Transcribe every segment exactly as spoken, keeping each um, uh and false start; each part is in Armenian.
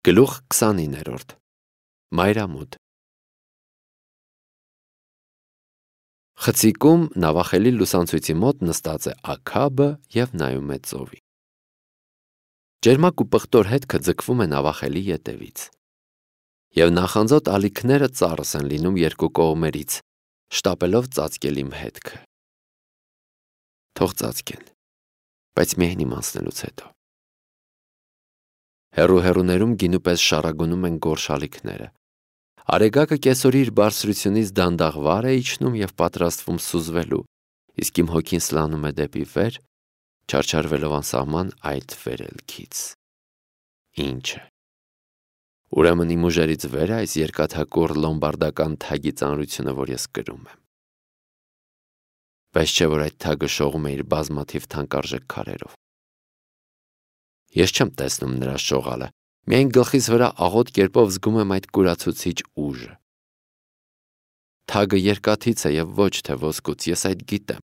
Գլուխ քսանիններորդ Մայրամուտ Խցիկում նավախելի լուսանցույցի մոտ նստած է Աքաբը և նայում է ծովի։ Ջերմակ ու պղտոր հետքը ձգվում է նավախելի ետևից։ Եվ նախանձոտ ալիքները ծառս են լինում երկու կողմերից, շտապելով ծածկել իմ հետքը։ Թող ծածկեն, բայց միայն իմանցնելուց հետո։ Հեռու-հեռուներում գինու պես շառագունում են գորշ ալիքները։ Արեգակը կեսօրի իր բարձրությունից դանդաղ վար է իջնում և պատրաստվում սուզվելու, իսկ իմ հոգին սլանում է դեպի վեր, չարչարվելով անսահման այդ վերելքից։ Ինչ է։ Ուրեմն իմ ուժերից վեր է այս երկաթակուռ լոմբարդական թագի ծանրությունը, որ ես կրում եմ։ Բայց չէ, որ այդ թագը շողում է իր բազմաթիվ թանկարժեք քարերով։ Ես չեմ տեսնում նրա շողալը, միայն գլխիս վրա աղոտ կերպով զգում եմ այդ կուրացուցիչ ուժը։ Թագը երկաթից է և ոչ թե ոսկուց, ես այդ գիտեմ։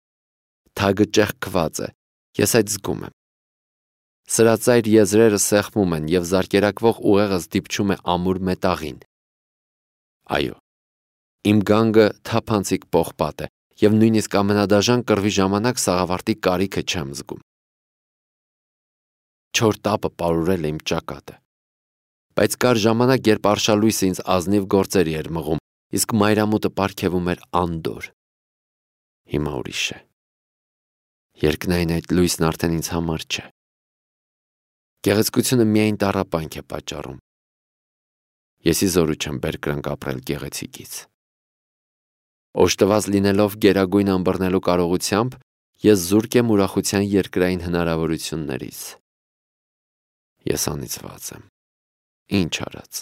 Թագը ճեղքված է, ես այդ զգում եմ։ Սրածայր եզրերը սեղմում են և զարկերակվող ուղեղս դիպչում է ամուր մետաղին։ Այո, իմ գանգը թափանցիկ պողպատ է և նույնիսկ ամենադաժան կռվի ժամանակ սաղավարտի կարիքը չեմ զգում։ Չոր տապը պարուրել է իմ ճակատը։ Բայց կար ժամանակ, երբ արշալույսը ինձ ազնիվ գործերի էր մղում, իսկ մայրամուտը պարգևում էր անդորր։ Հիմա ուրիշ է։ Երկնային այդ լույսն արդեն ինձ համար չէ։ Գեղեցկությունը միայն տառապանք է պատճառում։ Ես ի զորու չեմ բերկրանք ապրել գեղեցիկից։ Օժտված լինելով գերագույն ըմբռնելու կարողությամբ, ես զուրկ եմ ուրախության երկրային հնարավորություններից։ Ես անիծված եմ։ Ինչ արած։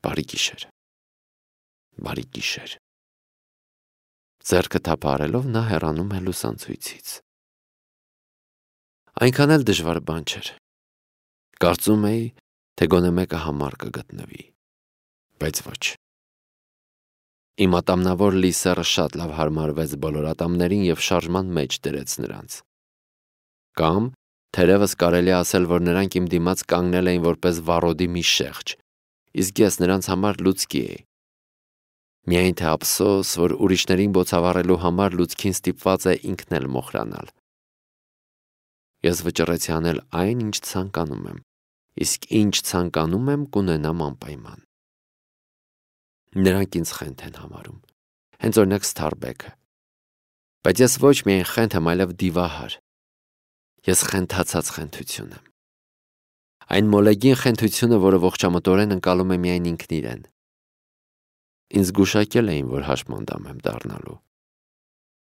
Բարի գիշեր։ Բարի գիշեր։ Ձեռքը թափահարելով նա հեռանում է լուսանցույցից։ Այնքան էլ դժվար բան չէր։ Կարծում էի, թե գոնե մեկը համար կգտնվի, բայց ոչ։ Իմ ատամնավոր լիսեռը շատ լավ հարմարվեց բոլոր ատամներին և շարժման մեջ դրեց նրանց։ Կամ, թերևս կարելի է ասել, որ նրանք իմ դիմաց կանգնել էին որպես վառոդի մի շեղջ, իսկ ես նրանց համար լուցկի էի։ Միայն թե ափսոս, որ ուրիշներին բոցավառելու համար լուցկին ստիպված է ինքն էլ մոխրանալ։ Ես վճռեցի անել այն, ինչ ցանկանում եմ, իսկ ինչ ցանկանում եմ կունենամ անպայման։ Նրանք ինձ խենթ են համարում, հենց օրինակ Սթարբեքը։ Բայց ես ոչ միայն խենթ եմ, այլև դիվահար։ Ես խենթացած խենթություն եմ։ Այն մոլեգին խենթությունը, որը ողջամտորեն ընկալում է միայն ինքն իրեն։ Ինձ գուշակել էին, որ հաշմանդամ եմ դառնալու։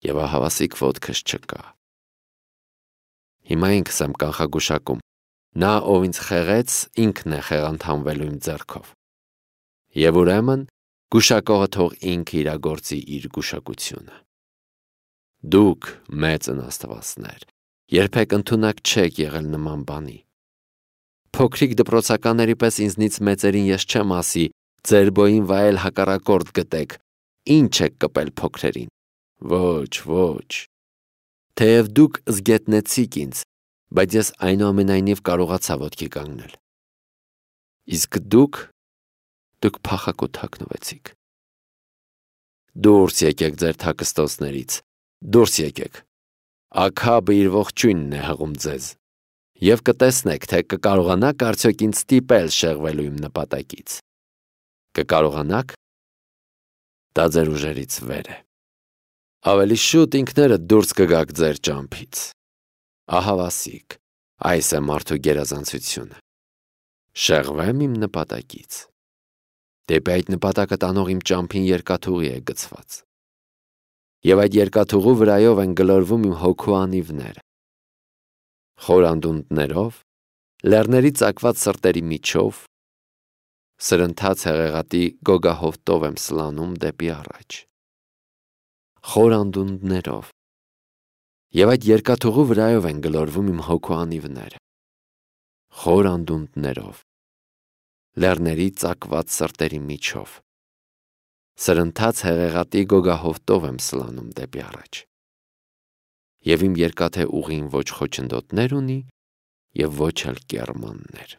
Եվ ահավասիկ ոտքս չկա։ Հիմա ինքս եմ կանխագուշակում։ Նա, ով ինձ խեղեց, ինքն է խեղանդանվելու իմ ձեռքով։ Եվ ուրեմն, գուշակողը թող ինքը իրագործի իր գուշակությունը։ Դուք, մեծն աստվածներ, երբեք ընդունակ չեք եղել նման բանի։ Փոքրիկ դպրոցականների պես ինձնից մեծերին ես չեմ ասի, ձեր բոյին վայել հակառակորդ գտեք, ինչ եք կպել փոքրերին։ Ոչ, ոչ։ Թեև դուք զգետնեցիք ինձ, բայց ես այնուամենայնիվ կարողացա ոտքի կանգնել։ Իսկ դուք, դուք փախակոտ հագնվեցիք։ Դուրս եկեք ձեր թաքստոցներից, դուրս եկեք։ Աքաբը իր ողջույնն է հղում ձեզ։ Եվ կտեսնեք, թե կկարողանաք արդյոք ինձ ստիպել շեղվելու իմ նպատակից։ Կկարողանաք։ Դա ձեր ուժերից վեր է։ Ավելի շուտ ինքներդ դուրս կգաք ձեր ճամփից։ Ահավասիկ, այս է մարդու գերազանցությունը։ Շեղվեմ իմ նպատակից։ Դեպի այդ նպատակը տանող իմ ճամփին երկաթուղի է գցված։ Եվ այդ երկաթուղու վրայով են գլորվում իմ հոգու անիվները։ Խոր անդունդներով, լեռների ծակված սրտերի միջով, սրընթաց հեղեղատի գոգահովտով եմ սլանում դեպի առաջ։ Խոր անդունդներով։ Եվ այդ երկաթուղու վրայով են գլորվում իմ հոգու անիվները։ Խոր անդունդներով, լեռների ծակված սրտերի միջով, սրընթաց հեղեղատի գոգահովտով եմ սլանում դեպի առաջ։ Եվ իմ երկաթե ուղին ոչ խոչընդոտներ ունի և ոչ էլ կեռմաններ։